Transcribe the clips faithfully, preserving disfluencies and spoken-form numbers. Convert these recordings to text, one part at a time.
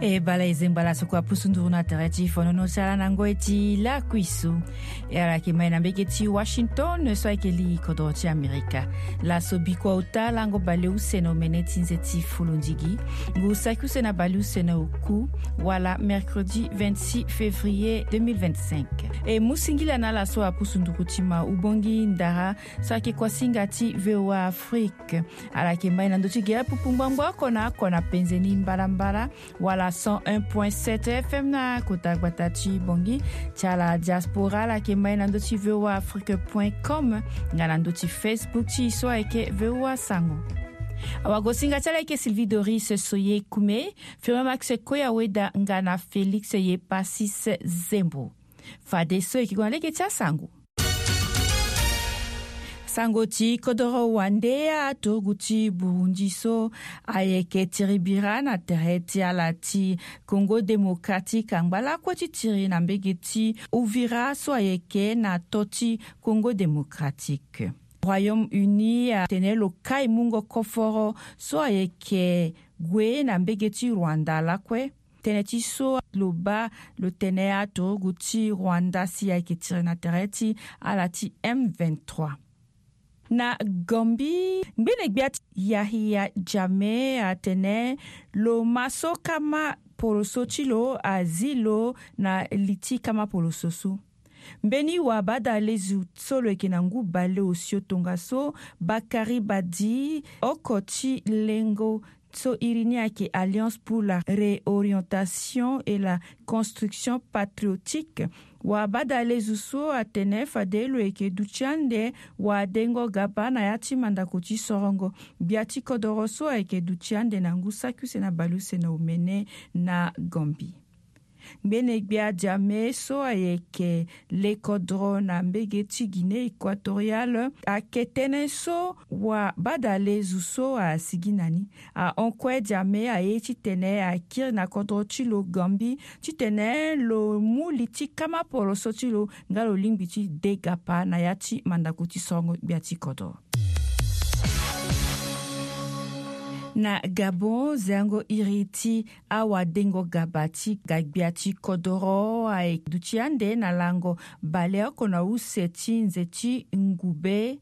E bala e zengba laso kue apusu nduru na tere ti fonono ti ala na ngoi ti lakui so. E ala yeke mai na mbege ti Washington so ayeke li kodoro ti Amerika. Laso bikua ota lango baleuse na omene ti nze ti fulundigi, ngu saki use na baleuse na oku, wala mercredi vingt-six février deux mille vingt-cinq. E mu singila na ala so apusu nduru ti ma ubongi ndara so ayeke kuasinga ti V O A Afrique. Ala yeke mai na ndö ti gere pupu ngbangbo oko na oko na penze ni mbalambala, wala cent un point sept F M na kota gbata ti Bangui. Ti ala diaspora, ala yeke mai na ndö ti V O A Afrique point com, nga na ndö ti Facebook ti e so ayeke V O A Sango. Awagosinga ti ala ayeke Sylvie Doris Soye Kume, Firmin Max Koya Weda nga na Félix Yepasis Zembo. Fadeso e yeke gue na lege ti asango. Sango ti kodoro wande, aturugu ti Burundi so ayeke tiri bira na tere ti ala ti Congo Démocratique angba lakue ti tiri na mbege ti Uvira so ayeke na to ti Congo Démocratique. Royaume-Uni atene lo kai mungo koforo so ayeke gue na mbege ti Rwanda lakue. Tënë ti so lo baa lo tene aturugu ti Rwanda si ayeke tiri na tere ti ala ti M vingt-trois. Na Gambie, ngbene gbia ti Yahya Jammeh atene lo ma so kama poroso ti lo azi lo na li ti kama poroso so. Mbeni wabadalezu so lo yeke na ngu baleosio tongaso, Bakary Badi, oko ti lengo so iri ni ayeke Alliance pour la Réorientation et la Construction Patriotique. Wabadalezu so atene fade lo yeke duti ande wadengo gaba na ya ti mandako ti sorongo gbia ti kodoro so ayeke duti ande na ngu saki use na baleuse na omene na Gambie. Ngbene gbia Jammeh so ayeke lekodro na mbege ti Guinée Équatoriale ayeke tënë so wabadalezu so asigi na ni. Ahon kue Jammeh aye titene akiri na kodro ti lo Gambie titene lo mu li ti kama poroso ti lo nga lo lingbi ti de gapa na ya ti mandako ti sorongo gbia ti kodro. Na Gabon, zengo iri ti awadengo gaba ti ga gbia ti kodoro aye duti ande na lango baleoko na use ti nze ti ngube.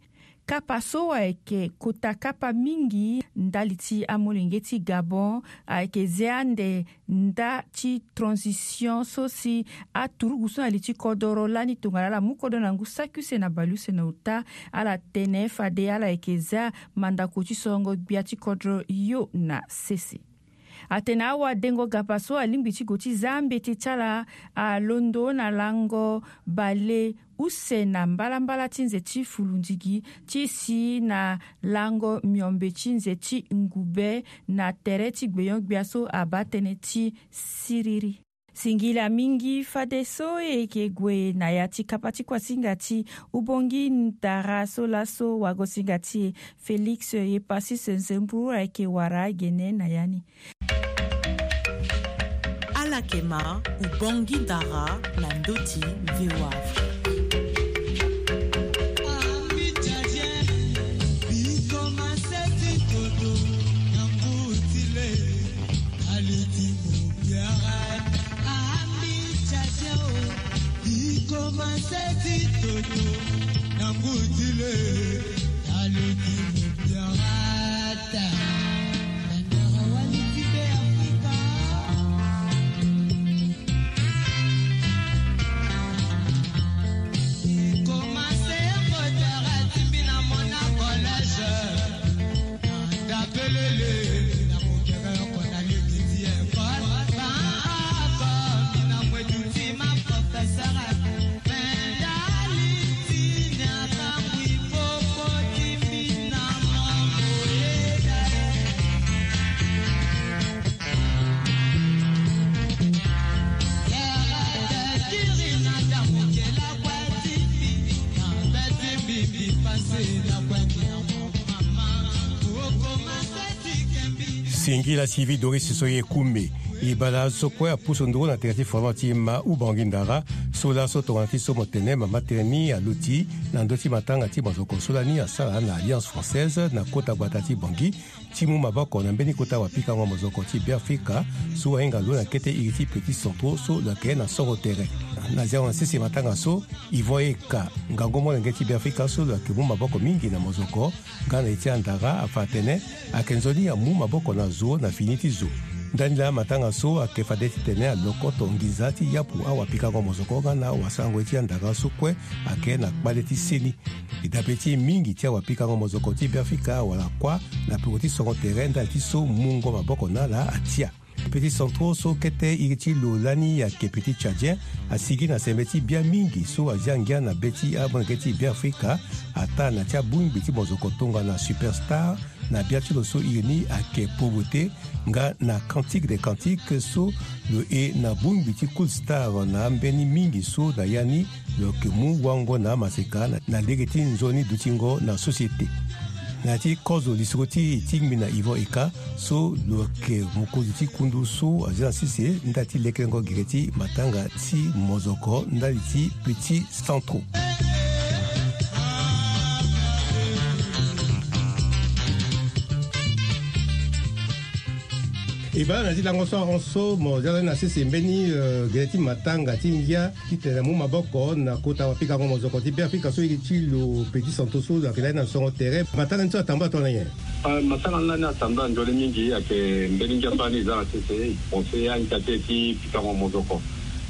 Kapa so ayeke kota kapa mingi ndali ti amolenge ti Gabon, ayeke ze ande nda ti transition so si aturugu so na li ti kodoro lani tongana ala mu kodro na ngu saki use na baleuse na ota. Ala tene fade ala yeke za mandako ti sorongo gbia ti kodro yo na sese. Atene awadengo gaba so alingbi ti gue ti za mbeti ti ala alondo na lango bale use na mbalambala ti nze ti fulundigi ti si na lango miombe ti nze ti ngube na tere ti gbenyo-gbia so abaa tënë ti siriri. Singila mingi fadeso e yeke gue na ya ti kapa ti kuasinga ti ubongi ndara so laso wagosinga ti e Félix Yepasis Nzemburu ayeke wara gene na ya ni. Ala yeke ma ubongi ndara na ndö ti V O A Afrique. Singila sivi Doris so ye kume. E bale azo so kue apusu nduru na tere ti fondement ti ma Ubangi Ndara, so laso tongana ti so mo tene mama tënë ni aluti na ndö ti matanga ti mozoko so lani asara na Alliance Française na kota gbata ti Bangui, ti mu maboko na mbeni kota wapikango mozoko ti Beafrika so ahinga lo na kete iri ti Petits Centraux so lo yeke na songo tere. Na ziango na sese matanga so, Yvon Eka, ngangu molenge ti Beafrika so lo yeke mu maboko mingi na mozoko nga na ye ti andara, afa atene ayeke nzoni amu maboko na zo na fini ti zo. Ndani laa matanga so ayeke fade titene alokoto nginza ti yapu awapikango mozoko nga na wasango ye ti andara so kue ayeke na kpale ti seni. E dabe ti mingi ti awapikango mozoko ti Beafrika awara kuâ na peko ti songo tere ndali ti so mungo maboko na ala atia. Petits Centraux so kete iri ti lo lani ayeke Petit Tchadien, asigi na sembe ti bia mingi so azia ngia na be ti amolenge ti Beafrika, ataa na ti abongbi ti mozoko tongana Superstar, na bia ti lo so iri ni ayeke Pauvreté, nga na Cantique des Cantiques so lo e na bongbi ti Cool Star na ambeni mingi so na ya ni lo yeke mu wango na amaseka na, na lege ti nzoni dutingo na société. Na ya ti kozo lisoro ti e ti ngbi na Yvon Eka so lo yeke mokonzi ti kundu so azia na sese ndali ti lekerengo gere ti matanga ti mozoko ndali ti Petits Centraux. E baa na ya ti lango so ahon so mo zia lani na sese mbeni, eh, gere ti matanga ti ngia titene amu maboko na kota wapikango mozoko ti Beafrika so iri ti lo Petits Centraux so lo yeke lani na songo tere. Matanga ni so atambula tongana nyen? Ah, matanga ni lani atambula nzoni mingi, ayeke mbeni ngia so lani e zia na sese, e pense ahinga ti e ti pikango mozoko.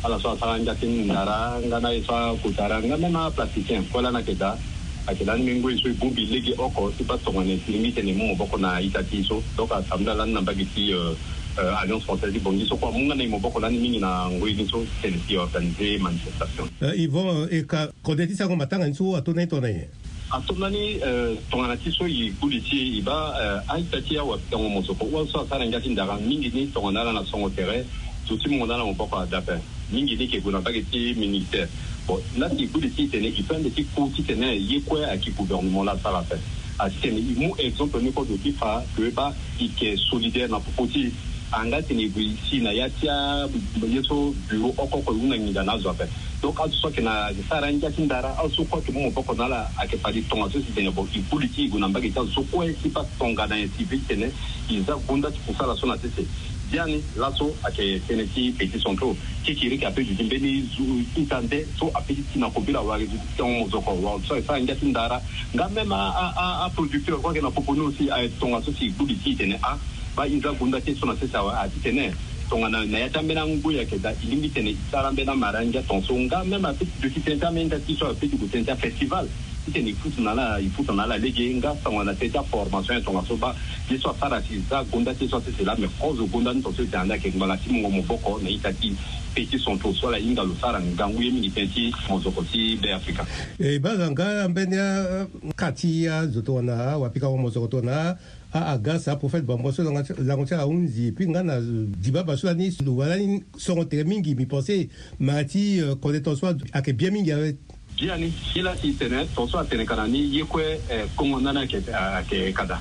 Ala so asara ngia ti ndara nga na ye so akota ara nga même aplasticien kue lani ayeke daa. Ayeke lani mbeni ngoi so e bongbi lege oko ti baa tongana nyen si e lingbi titene e mu maboko na ita ti e so. Donc atambula lani na mbage ti, euh, euh, Alliance Française ti Bangui so kue amu nga na e maboko lani mingi na ngoi ni so titene si e organiser manifestation. Euh, Yvon, euh, Eka, kode ti sango matanga ni so ato na e tongana nyen? Ato na ni, euh, tongana ti so e gbu li ti e, e baa, euh, a-ita ti e awapikango mozoko wala so asara ngia ti ndara mingi ni tongana ala na songo tere, zo ti mungo na ala maboko ada ape. Mingi ni ke gue na mbage ti ministère. Bon, la si e gbu li ti e titene e peut ande ti ku titene ye kue ayeke gouvernement la asara ape. A titene e mu exemple ni kue zo ti fa que baa e yeke solidaire na popo ti e. Anga titene e gue e si na ya ti a, ye so bureau oko oko e hunda nginza na azo ape. Donc azo so ayeke na, ayeke sara ngia ti ndara, azo so kue ayeke mu maboko na ala, ayeke fade tongaso si tene bon e gbu li ti e gue na mbage ti azo so kue ti baa tongana nyen si e peut titene e za gunda ti kusala so na sese. Biani laso ayeke tënë ti Petits Centraux. Kekireke ape duti mbeni zo ita nde so ape ti ti na kobela wala zo ti ti ango mozoko wala so ayeke sara ngia ti ndara. Nga même a, a, a, a producteur kue ayeke na popo ni aussi ayeke tongaso si e gbu li ti e tene a, baa e za gunda ti e so na sese awe, a titene tongana na ya ti ambeni angoi ayeke daa e lingbi titene e sara ambeni amara ngia tongaso. Nga même ape ti duti tënë ti ambeni nda ti so ape ti gue tënë ti afestival. Titene e futa na ala, e futa na ala lege nga tongana tënë ti aformation ya tongaso baa ye so asara si e za gunda ti e so asese laa, me kozo gunda ni tongaso e tene ande ayeke ngbanga ti mungo maboko na ita ti Petits Centraux so ala hinga lo sara ngangu ye mingi tënë ti mozoko ti Beafrika. E baa nga ambeni a, a, ka ti azo tongana awapikango mozoko tongana a, a, Agas, aProphète Bambon so lango ti, lango ti ala ahunzi, puis nga na, euh, Dibaba so lani lo wara lani songo tere mingi, mbi pense mara ti, euh, kode tongaso ayeke bien mingi awe. Biani, ye la si e tene tongaso atene ka na ni ye kue, eh, kongo ndani ayeke, ayeke ka daa.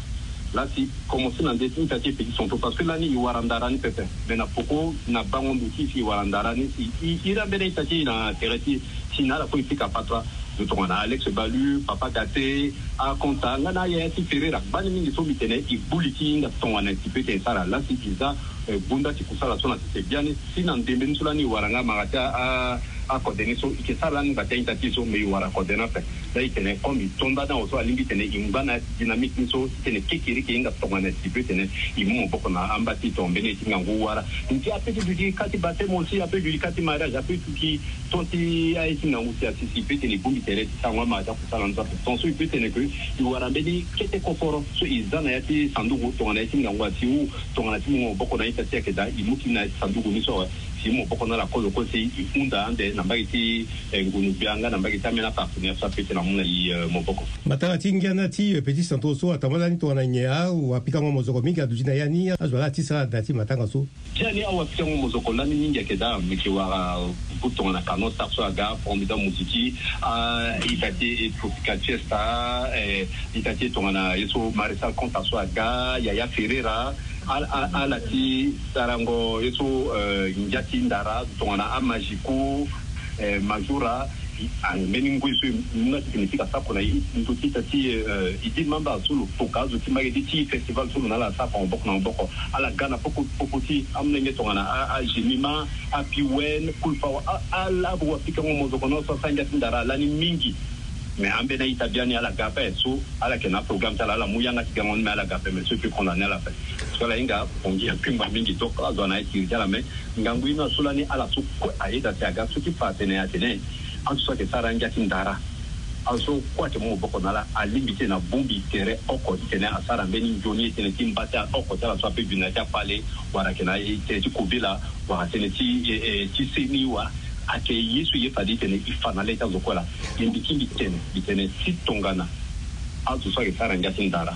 La si e commencer na nde ti ita ti Petits Centraux parce que lani e wara ndara ni pepe. Me na poko na bango ndo ti e si e wara ndara ni si e, e iri ambeni ita ti e na tere ti e si na ala kue e pika patara. Zo tongana Alex Balu, Papa Gate, Akonta nga na ayaya ti Ferreira, gbani mingi so mbi tene e gbu li ti e hinga tongana si e peut tene e sara. La si e za, eh, gunda ti kusala so na sese. Biani si na ndembe ni so lani e wara nga mara ti a, a, akode ni so, e yeke sara lani ngba ti a-ita ti e so, me e wara kode ni ape. La e tene comme e to nda ni awe so alingbi tene e ngba na dynamique ni so, titene kekereke e hinga tongana si e peut tene e mu maboko na amba ti e tongana mbeni ye ti ngangu wara. Ndia ape ti duti ka ti baptême aussi, ape duti ka ti mariage, ape duti ton ti aye ti ngangu si asi si e peut tene e bongbi tere ti sango amara ti akusala ni so ape. Tongaso e peut tene que e wara mbeni kete koforo so e za na ya ti sanduku tongana ye ti ngangu asi huu tongana ti mu maboko na a-ita ti e ayeke daa, e mu ti ni na ya ti sanduku ni so awe. Si e mu maboko na ala kozo kue si e hunda ande na mbage ti, eh, ngunu-gbia nga na mbage ti ambeni apartenaire so ape ti na mu na e, eh, maboko. Matanga ti ngia na ti, eh, Petits Centraux so atambula lani tongana nyen? Awapikango mozoko mingi aduti na ya ni, azo laa ti sara na ti matanga so. Biani awapikango mozoko lani mingi ayeke daa, mbi yeke wara buku tongana Kano Star so aga, Formidable Muziki, a, ita ti e Tropical Fiesta, eh, ita ti e tongana ye so Maréchal Konta so aga, Yaya Ferreira, Ala, ala, ala ti sarango ye so, eh, ngia ti ndara tongana amajiku, eh, majura, ah, mbeni ngoi so e mu na ti tene e pika sako na e ndö ti ita ti, eh, e di mamba so lo toka azo ti mbage ti ti festival so lo na ala sako na maboko na maboko. Ala ga na popo, popo ti amolenge tongana a, a Gemima, a Piwen, Kulfawa, a, ala abo wapikango mozoko na so asara ngia ti ndara lani mingi. Mais ambeni a-ita biani ala ga ape so ala yeke na programme ti ala, ala mu yanga ti gango ni, mais ala ga ape, mais so e peut condamner ala ape. Parce que ala hinga Bangui apingba mingi, donc azo ana ye kiri ti ala, mais ngangu ye ni aso lani ala so kue ayeda si aga so ti fa atene atene azo so ayeke sara ngia ti ndara, azo so kue ayeke mu maboko na ala, alingbi ti tene abongbi tere oko ti tene asara mbeni nzoni ye tënë ti mba ti oko ti ala so ape bi na ya ti akpale, wala ayeke na ye tënë ti kobela, wala tënë ti, eh, eh, ti seni, wala ayeke ye so e ye fade ti tene e fa na le ti azo kue laa. Ye mbi ti mbi tene, mbi tene ti tongana azo so ayeke sara ngia ti ndara,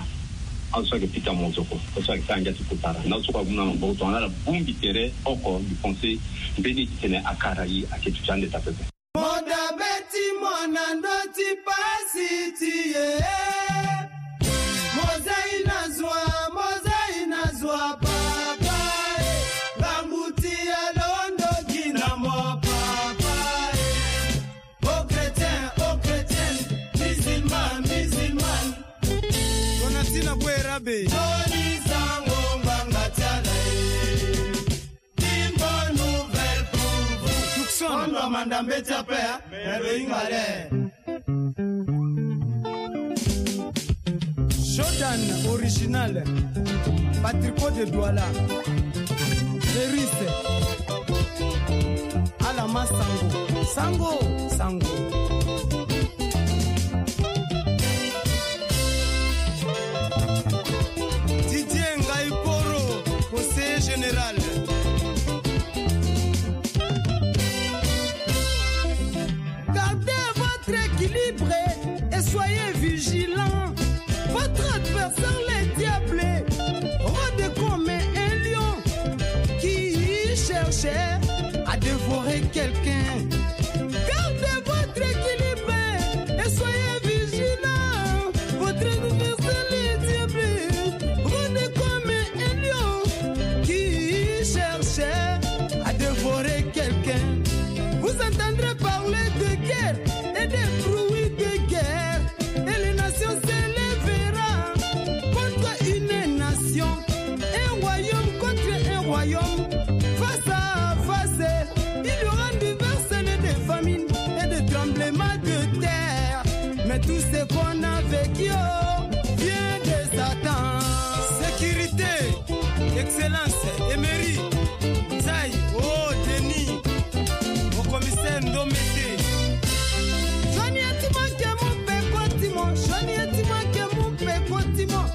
azo so ayeke pika mozoko, azo so ayeke sara ngia ti kotara, na azo so kue amu na maboko tongana ala bongbi tere oko, mbi pense mbeni ti tene akara e ayeke duti ande taa pepe. Mo dabe ti mo na ndö ti pasi ti e. Mo zai na zwa, mo zai na zwa, papa e. Ngangu ti alondo gi na mo, papa e. O chrétien, o chrétienne, musulman, musulmane. Donatien Abuera be. Tony Sango ngbanga ti ala e. Une bonne nouvelle pour vous. Tucson. Ondo manda mbeti ape, hein? Mais lo hinga le. Jordan original. Patrico de Douala. Eris. Alama Sango. Sango, Sango. Didier Ngaiporo, conseiller général. Gardez votre équilibre et soyez vigilants. Votre adversaire, le diable, rôde comme un lion qui cherche à dévorer quelqu'un. Gardez votre équilibre et soyez vigilants. Votre adversaire, le diable, rôde comme un lion qui cherche à dévorer quelqu'un. Vous entendrez parler de guerre et des bruits de guerre. Et les nations s'élèveront contre une nation, un royaume contre un royaume, face à face. Il y aura des verseaux, des famines et des tremblements de terre. Mais tout ce qu'on a vécu, oh, vient de Satan. Sécurité, excellence, Emery, Nzai, oh, Denis, au commissaire Ndomete. Johnny Etimon ke mu peko Timon, Johnny Etimon ke mu peko Timon.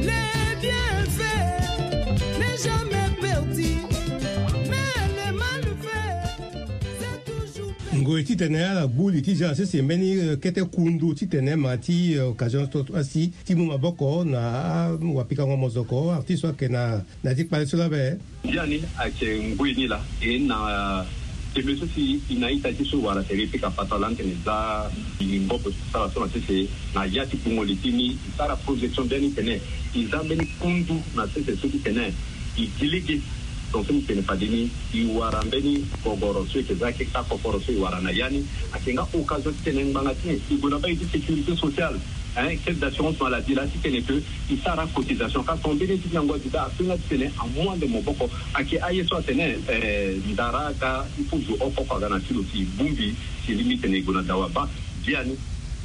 Les bienfaits n'est jamais perdu, mais les malfaits, c'est toujours perdu. Ngoi titene ala gbu li ti Jean sese mbeni, eh, kete kundu titene ma ti, eh, occasion so asi ti mu maboko na, ah, wapikango mozoko, artiste so ayeke na, na ti kpale so labe. Biani ayeke ngoi ni laa, e na tembe so si e na ita ti so wara tere e pika patara lani tene e za mbote ti sara so na sese na ya ti pungo li ti ni, e sara projection biani tene e za mbeni kundu na sese so ti tene e gi lege. Donc so mbi tene fade ni, e wara mbeni gogoro so e yeke za keka kokoro so e wara na ya ni. Ayeke nga occasion ti tene ngbanga ti e e gue na mbage ti sécurité sociale, hein, caisse d'assurance maladie laa, ti tene que e sara cotisation. Ka so mbeni ti nyango aduda apenga ti tene amu ande maboko. Ayeke aye so atene, eh, ndara aga, il faut zo oko oko aga na ti lo si e bongbi, si e lingbi tene e gue na dawa baa. Biani e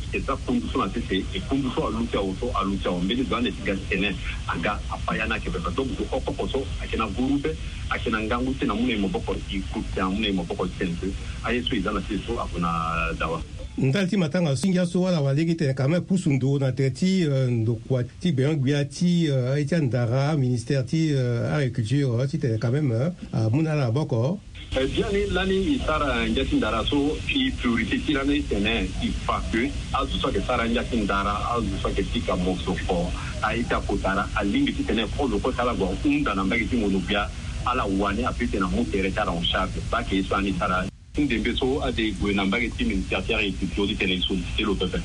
yeke za kundu so na sese, e kundu so aluti awo so aluti awo. Mbeni zo ande ti ga ti tene aga, apa ya ni ayeke pepe. Donc zo oko oko so ayeke na gurube, ayeke na ngangu ti tene amu na e maboko, e kutu tene amu na e maboko ti tene que aye so e za na sese so ague na dawa. Ndali ti matanga so ngia so ala wara lege tene quand même pusu ndo na tere ti, eh, ndokua ti gbenyo-gbia ti, eh, aye ti andara, ministère ti, eh, agriculture, eh, titene quand même, eh, amu na ala maboko. Eh, biani lani e sara ngia ti ndara so, e priorité ti lani tene e fa que azo so ayeke sara ngia ti ndara, azo so ayeke pika mosoko, aye ti akotara alingbi titene kozo kue ti ala gue ahunda na mbage ti ngono-gbia, ala wani ape titene amu tere ti ala en charge. Baa ayeke ye so ani e sara. Ti ndembe so ade e gue na mbage ti ministère ti agriculture titene e solliciter lo pepe.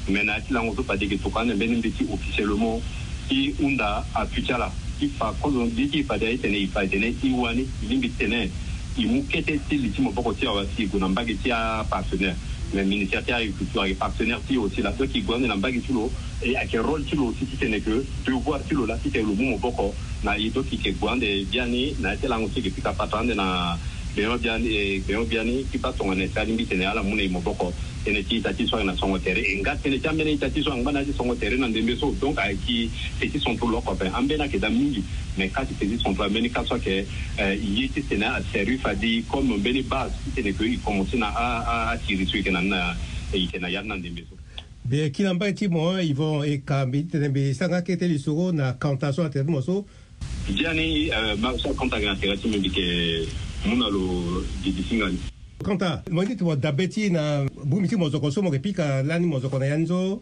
Mais na ya ti lango so fade e yeke tokua ande mbeni mbeti officiellement ti hunda apuis ti ala. Fa kozo mbi ti fa de aye tene i fa tene i wani i lingbi tene i mu kete ti li ti maboko ti awa si i gue na mbage ti apartenaire. Mais ministère ti agriculture ayeke partenaire ti e aussi la, donc i gue ande na mbage ti lo. E ayeke rôle ti lo aussi titene ke devoir ti lo la titene lo mu maboko na e, donc i yeke gue ande biani na ya ti lango ti e yeke pika patara ande na gbenyo biani, e gbenyo biani ti baa tongana si alingbi tene ala mu na e maboko. Tënë ti ita ti so ayeke na songo tere e nga tënë ti ambeni ita ti so angba na ya ti songo tere na ndembe so, donc ayeke ti ti centre lo oko ape ambeni ayeke daa mingi. Mais kâ ti ti ti centre ambeni kâ so ayeke ye ti tene aservi fadi comme mbeni base ti tene ke e commencer na a a a tiri so e yeke na ni na e yeke na ya ni na ndembe so. Mbi yeke na mbage ti mo Yvon Eka, mbi ti tene mbi sara nga kete lisoro na kanta so na tere ti mo so. Biani ma so akanta ayeke na tere ti mbi mbi yeke mu na lo gigi ti nga ni. Kanta mo ye ti tene mo dabe ti na bongbi ti mozoko so mo yeke pika lani mozoko na ya ni so.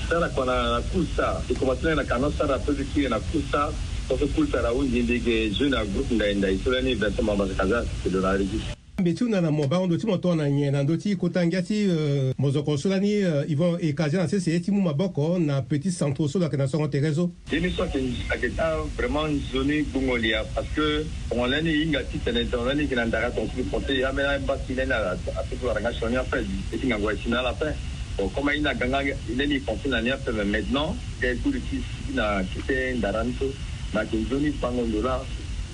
Sara kua na na kusa e komanse na ye na kano sara pe ti kiri na kusa. Tonso kusa na hunzi mbi yeke jeu na groupe ndai ndai so lani Vincent Mambasa Kaza. Mbi ti hunda na mo bango ndo ti mo tongana nyen na ndö ti kota ngia ti mozoko so lani Yvon Eka aza na sese ti mu maboko na petit centre so lo yeke na songo tere so. Ye ni so ayeke ayeke daa vraiment nzoni gbungo lia parce que tongana lani e hinga titene tongana lani e yeke na ndara tonga ti français e ambeni ambasi lani apeut ti wara nga sioni ape. E ti ngangu ayeke si na ala ape. Bon comme ahinga aga nga lani e français na ni ape mais maintenant ga e kuli ti si na kete ndara ni so. Mais ayeke nzoni bango ndo laa.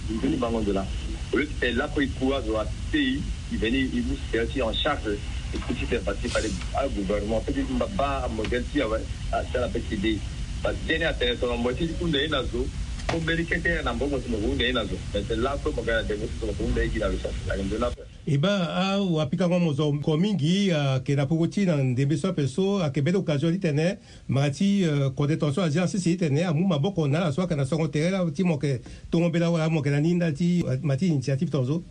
Nzoni bango ndo laa. Au lieu ti tene lapo e ku azo atei e veni e mu sere ti en charge. E ku ti tene parce que fade agouvernement peut ti mba baa amodèle ti awe. Ah, ti ala pe ti de. Parce que biani atene so na mo ti hunda ye na zo. Ko mbeni kete na mbongo so mo ko hunda ye na zo mais tene laa pe mo ga na dengo so so mo ko hunda ye gi na lo so ayeke nzoni ape. E baa awapikango mozoko mingi ayeke na poko ti na ndembe so ape so ayeke mbeni occasion ti tene mara ti kode tonga so azi na sese ti tene amu maboko na ala so ayeke na songo tere laa ti mo yeke tongo mbela wala mo yeke na ni ndali ti ma ti initiative tonga so.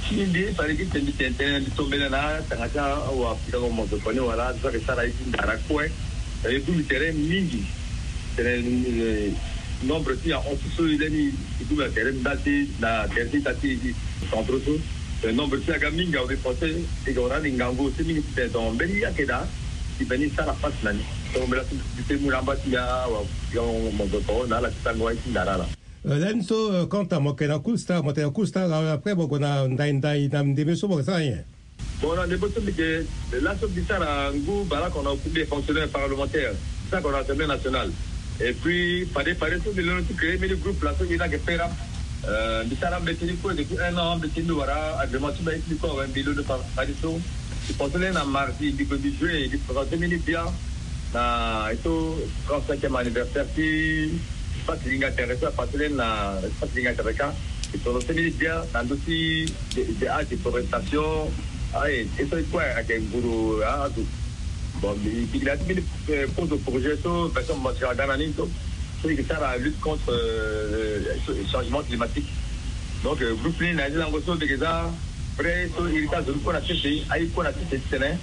Ti mbi fade ti tene mbi tene tënë mbi tombela na atanga ti awapikango mozoko ni wala azo so ayeke sara ye ti ndara kue. E gbu mbi tere mingi. Tene nombre ti ahon ti so e lani e gbu mbi na tere ndali ti na tere ti ita ti centre so. Tene nombre ti aga mingi awe mbi pense e yeke wara ni ngangu ti mingi ti tene tongo mbeni ye ayeke daa. E veni e sara pasi na ni. Tongo mbela so mbi te mu na amba ti mbi awapikango mozoko na ala ti tango aye ti ndara ala. Lani so kanta mo yeke na cool star mo tene cool star après mo gue na ndai ndai na ndembe so mo yeke sara nyen? Bon na ndembe so mbi yeke laso mbi sara ngu baleoko na oku mbi yeke fonctionnaire parlementaire. Mbi sara oko na assemblée nationale. Et puis fade fade so mbi londo ti créer mbeni groupe laso e laa ayeke pera. Mbi sara ambeti ni kue depuis un an ambeti ni mbi wara agrément ti mbi aye ti mbi kue awe mbi londo fade so. Mbi pense lani na mardi mbi gue mbi joue mbi présente mbeni bia na e so trente cinquième anniversaire ti Espace Linga Tere so apase lani na Espace Linga Tere ka. E présente mbeni bia na ndö ti de a déforestation. Aye e so e kue ayeke nguru azo. Bon mbi pikinda ti mbeni kozo projet so Vincent Mambasa aga na ni so so e yeke sara lutte contre changement climatique. Donc groupe ni na ya ti lango so mbi yeke za vrai so e iri ti azo ni kue na sese aye kue na sese titene.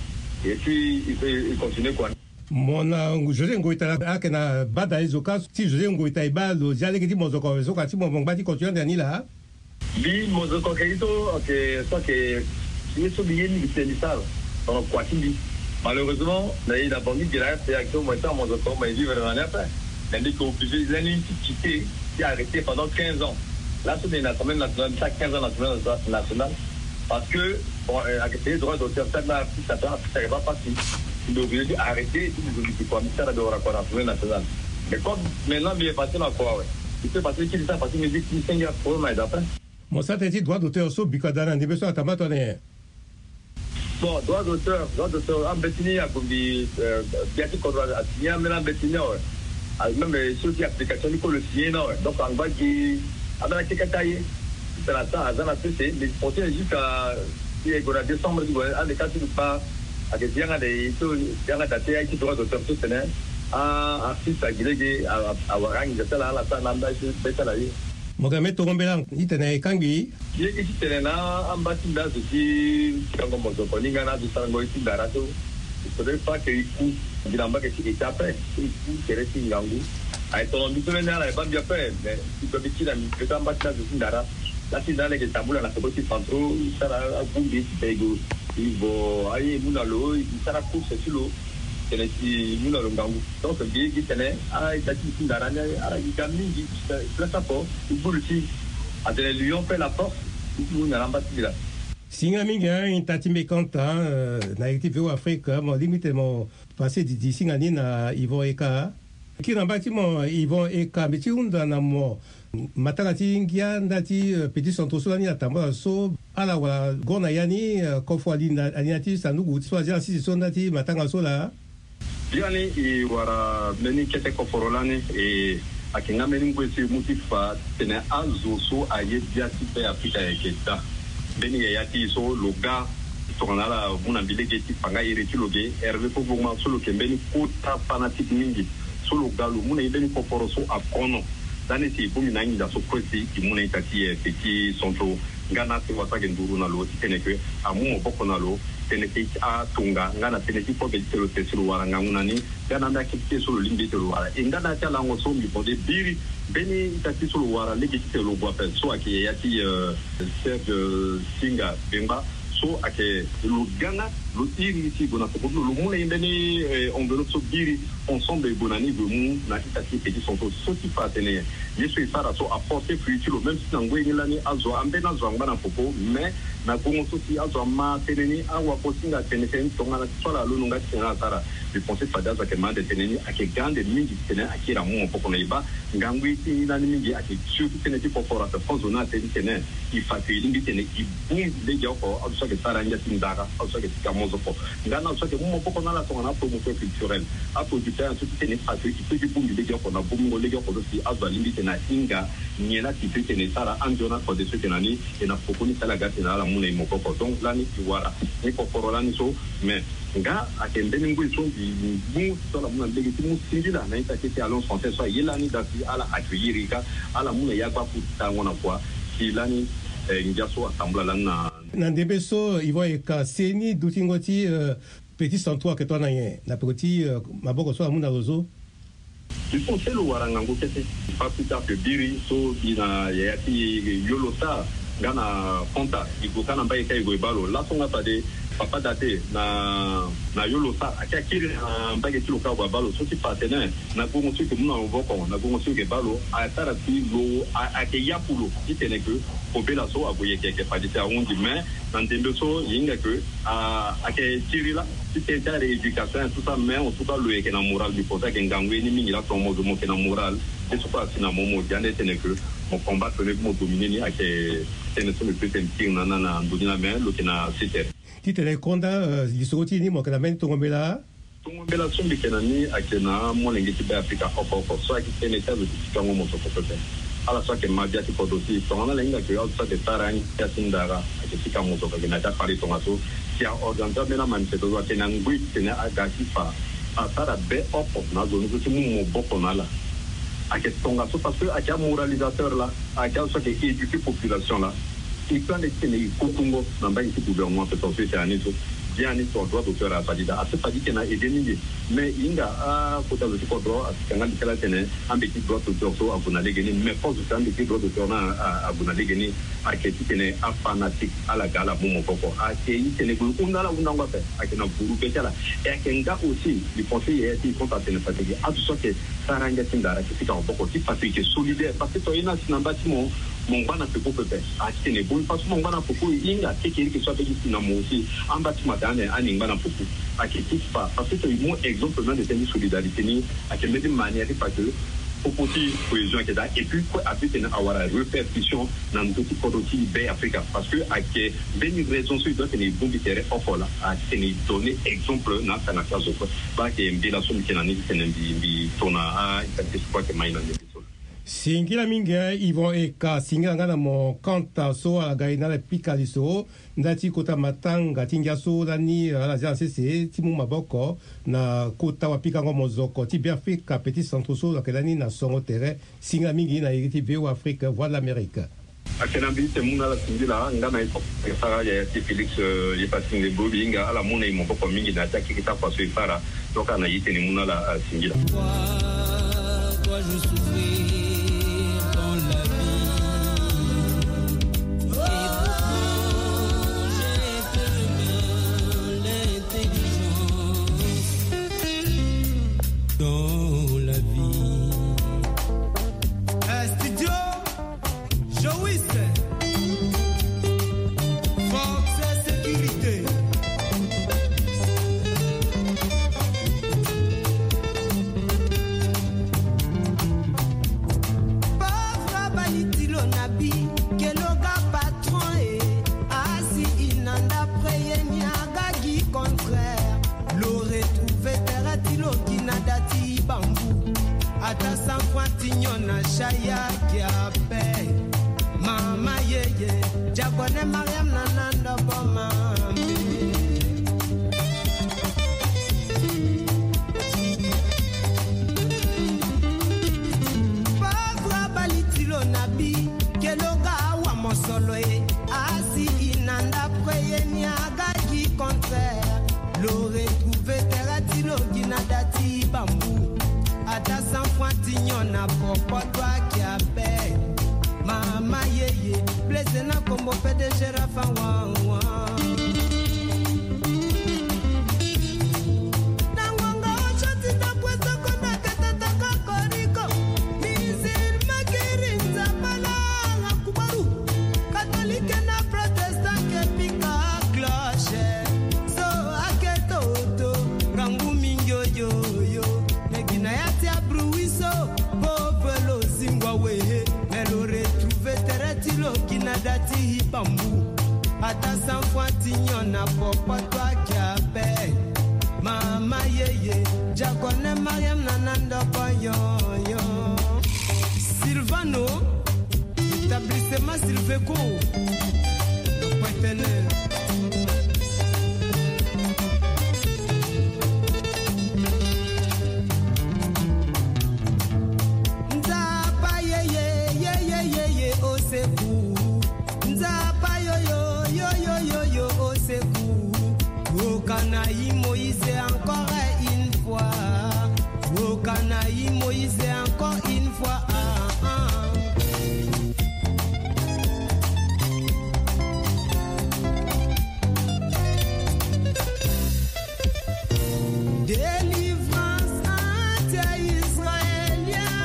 Et puis e continue kua. Mo na José Ngoita ayeke na bada ye zo ka ti José Ngoita e baa lo zia lege ti mozoko awe so ka ti mo mo ngba ti continuer ande na ni laa. Mbi mozoko ayeke ye so ayeke so ayeke ye so mbi ye mingi tene mbi sara tongana kua ti mbi. Malheureusement na e na bangi gi na rta ayeke so mo ye sara mozoko mo ye vivre na ni ape. Mais mbi yeke obligé lani ti quitter ti arrêter pendant quinze ans. Laso mbi ye na assemblée nationale mbi sara quinze ans na assemblée nationale. Parce que bon ayeke payé droit d'auteur ti artiste ape artiste ayeke baa pasi. Mbi obligé ti arrêter ti mbi zo mbi gi kua mbi sara mbi wara kua na assemblée nationale. Mais comme maintenant mbi ye passer na kua awe. Mbi peut passer ti kiri sara partie musique ti senge aproblème ayeke daa ape. Mo sara tënë ti droit d'auteur so biko ada na ndembe so atambula tongana nyen? Bon droit d'auteur droit d'auteur ambeti ni ague mbi bia ti kodro asigné ambeni ambeti ni awe. Même so ti application ni kue lo signé ni awe donc angba gi ambeni akekata ye. Titene asa aza na sese mbi continue jusqu'à ti e gue na décembre ti gue ande ka ti lo kpa. Ayeke zi yanga de so yanga da ti aye ti droit d'auteur so tene a artiste agi lege awara anginza ti ala ala sara na amba ye so be ti ala ye. Mo ga me tongo mbela titene e kangbi. Ye gi titene na amba ti mbi azo ti pikango mozoko ni nga na azo sarango ye ti ndara so. Il faudrait pas que e ku gi na mbage ti état ape. E ku tere ti ngangu. Aye tongana mbi so lani ala e baa mbi ape mais si kue mbi kiri na mbi mbi amba ti azo ti ndara. Laa ti na ala yeke tambula na peko ti centraux e sara agbu mbi ti pego. E vo aye e mu na lo e sara course ti lo. Tene ti mu na lo ngangu. Donc gi gi tene a ita ti ti ndara ni ala gi ga mingi. Place apo i bulu ti atene lion fait la force. I ti mu na lamba ti la. Singa mingi a ita ti mbi kanta na iri ti V O Afrique mo lingbi tene mo pase didi singa ni na Yvon Eka. Kiri na mba ti mo Yvon Eka mbi ti hunda na mo. Matanga ti ngia nda ti petit centre so lani atambula so ala wala go na ya ni kofo ali na ti sanduku so azia na sisi so nda ti matanga so laa. Biani e wara mbeni kete koforo lani. E ayeke nga mbeni ngoi so e mu ti fa tene azo so aye bia ti be afrika ayeke daa. Mbeni yaya ti e so lo ga tongana ala mu na mbi lege ti fa nga iri ti lo ge herve fo gbongba so lo yeke mbeni kota fanatique mingi. So lo ga lo mu na e mbeni koforo so akono. Lani si e bongbi na anginza so kue si e mu na ita ti e petit centre. Nga na si wasa ayeke nduru na lo ti tene ke amu maboko na lo tënë ti atonga nga na tënë ti kobe ti tene lo tene si lo wara ngangu na ni. Nga na ambeni akete ti e so lo lingbi ti tene lo wara e nga na ya ti alango so mbi bode biri mbeni ita ti so lo wara lege ti tene lo gue ape so ayeke yaya ti serge singa bengba. So ayeke lo ga nga lo iri si e gue na tokoti lo lo mu na e mbeni enveloppe so biri. Ensemble e gue na ni e gue mu na ita ti petit centre so ti fa atene ye so e sara so aporte fruit ti lo même si na ngoi ni lani azo ambeni azo angba na popo mais na gongo so si azo ama tënë ni awakosinga atene tene tongana ti so ala londo nga ti tene ala sara. Mbi pense fade azo ayeke ma ande tënë ni ayeke ga ande mingi ti tene akiri amu maboko na e baa. Ngangu ye ti e ni lani mingi ayeke surtout tënë ti koforo ape fo zo ni atene ti tene e fa ke e lingbi ti tene e bongbi legeoko azo so ayeke sara ngia ti ndara azo so ayeke sika mozoko. Nga na azo so ayeke mu maboko na ala tongana apromoteur culturel aproducteur nyen so ti tene e fa ke e seki bongbi legeoko na bongbingo legeoko so si azo alingbi ti tene ahinga nyen laa ti so ti tene e sara andio na kode so ti tene na ni. E na poko ni si ala ga ti tene ala mu na e maboko donc lani e wara ni koforo lani so. Mais nga ayeke mbeni ngoi so mbi mu so ala mu na mbege ti mu singila na ita ti ti alliance française so aye lani daa si ala accueillir e ka ala mu na e agbaku tango na kua si lani ngia so atambula lani na. Na ndembe so e vo e ka seni dutingo ti petit santu ayeke tongana nyen na peko ti maboko so amu na lo so. Il faut ti lo wara ngangu kete. Pas plus tard que biri so gi na yaya ti yolo sar nga na konta e gue ka na mbage ka e gue e baa lo laso nga fade papa date na na yolo sar ayeke akiri na mbage ti lo ka ague abaa lo so ti fa atene na gongo so e yeke mu na maboko na gongo so e yeke baa lo asara si lo ayeke yaku lo ti tene ke kobela so ague yeke yeke fade si ahunzi mais na ndembe so e hinga ke ayeke tiri laa ti tene ti arééducation et tout ça mais en tout cas lo yeke na moral mbi pense ayeke ngangu ye ni mingi laa tonga mo zo mo yeke na moral. Ye so kue asi na mo mo gi ande tene ke mo combattre ni mo dominer ni ayeke tënë so mbi peut tene tiri na na na ndo ni laa mais lo yeke na setere. Ti tene konda lisoro ti e ni mo yeke na mbeni tongo mbela. Tongo mbela so mbi yeke na ni ayeke na amolenge ti be afrika oko oko so ayeke tene ti azo ti sikango mosoko pepe. Ala so ayeke ma bia ti kodro ti e tongana ala hinga ke azo so ayeke sara angia ti ndara ayeke sika mosoko ayeke na ya ti akpari tongaso. Si a organiser ambeni amanifestation so ayeke na ngoi ti tene aga ti fa asara be oko na azo ni so ti mu maboko na ala. Ayeke tongaso parce que ayeke amoralisateur laa ayeke azo so ayeke éduquer population laa. E kue ande ti tene e kotungo na mbage ti gouvernement ape tongaso e tene na ni so. Biani tongana droit d'auteur aye fadi daa asi fadi ti tene a aide mingi. Mais e hinga akota zo ti kodro asi ka nga mbi ti ala ti tene ambe ti droit d'auteur so ague na lege ni mais fo zo ti ambe ti droit d'auteur ni ague na lege ni. Ayeke ti tene afanatique ala ga ala mu maboko ayeke e tene gue e hunda ala hundango ape. Ayeke na buru be ti ala e ayeke nga aussi mbi pense yaya ti e so ti atene fade gi azo so ayeke sara ngia ti ndara ayeke sika maboko ti fa so e yeke solidaire parce que tongana e na si na mba ti mo mo ngba na peko pepe. Ayeke ti tene e bongbi fa so mo ngba na peko e hinga kekereke so abe gi si na mo aussi amba ti mo atene ande ani ngba na peko. Ayeke ti fa parce que tongana e mu exemple même de tënë ti solidarité ni ayeke mbeni manière ti fa que popo ti cohésion ayeke daa et puis kue abi tene awara répercussion na ndö ti kodro ti be afrika parce que ayeke mbeni raison so e doit tene e bongbi tere oko laa ayeke tene e donner exemple na atanga ti azo kue. Baa ayeke mbela so mbi yeke na ni ti tene mbi mbi to na a-ita ti so kue ayeke mai na ndembe so. Singila mingi. Yvon eka singila nga na mo kanta so ala ga e na ala pika lisoro nda ti kota matanga ti ngia so lani ala zia na sese ti mu maboko na kota wapikango mozoko ti beafrika petit centre so lo yeke lani na songo tere. Singila mingi na iri ti voa afrique voie de l'amérique. Ayeke na mbi ti tene mu na ala singila nga na ye so ayeke sara yaya ti félix. Ye pasi nde bro mbi hinga ala mu na e maboko mingi na ya ti akeke ti akua so e sara. Donc ala na ye ti tene mu na ala singila. Yaya Kiape, mama yeye, diakone Mariam na nando boma. Pauvre balitilo na bi, keloga awa mosolo e, asi inanda preye ni aga gi contraire. Lo retrouve tere ti lo gi na da ti bambu. Ata cent francs ti nyon na popo to akia pe. Mama yeye, Blaise na kombo P D G Rafa wa wa. Na ngonga ocho ti ndapue soko na ketete kokoriko. Musulman kiri nzapala na kubaru. Katolike na protestant ke pika cloche. So ake toto, ngangu mingi oyoyo. Negi na ya ti abruiso, pauvre lo zingua wehe. Me lo retrouve tere ti lo gi na da ti hibambu. Ata cent francs ti nyon na popo to akia pe. Mama yeye, diakone Mariam na nando boyoyo. Silvano, établissement Silveco, le partenaire. Nzapa yeye, yeye, yeye, au secours. Nzapa yo, yo, yo, yo, yo, yo, au secours. Okanayi Moïse encore une fois. Okanayi Moïse encore une fois. Ah, ah. Délivrance anti-israélien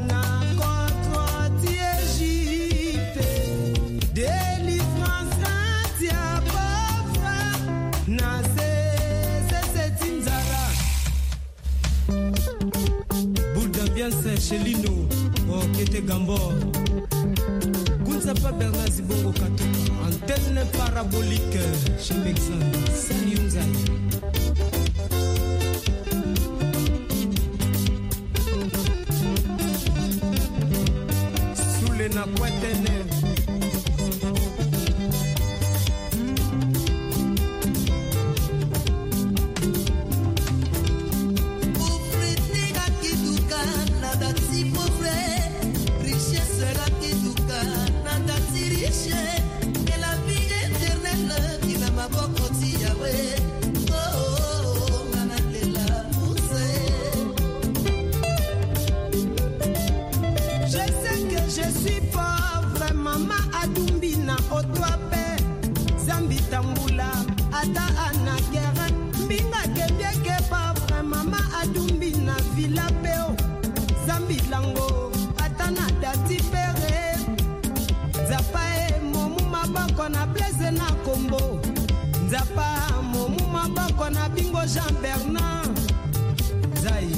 na contre ti Égypte. Délivrance anti-pauvre na se, se, se ti nzara. Boule d'ambiance chez Lino, oh, Kete Gambor. Kunza pa Bernard Zibongo Katoka, antenne parabolique chez Bexan. Salut, Nzai. Sule na Kwatene. Pauvreté ga ki duka na da ti pauvre, richesse ga ki duka na da ti riche, et la vie éternelle ki na maboko ti Yahweh. Oh, oh, oh, nga na lela muse. Je sais que je suis pauvre, mama Adumbi na oto ape. Zambi tambula, ata ana kere, mbinga ke mbieke pauvre, mama Adumbi na villa pe o. Zambi lango, ata na da ti pere. Nzapa e, mo mu maboko na Blaise na Kombo. Nzapa, mo mu maboko na bingo Jean Bernard. Nzai.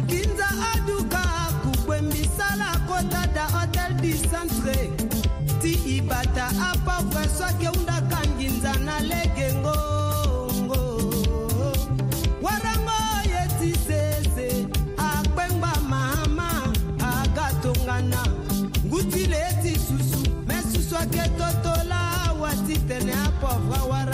Kinza aduka kukwe mbisala kota da Hôtel du Centre. Ti ibata apauvre so ake hunda ka nginza na lege ngongo. Warango ye ti sese, akpengba mama, aga tongana. Nguti le ti susu, me susu ake totola, wa ti tene apauvre awara.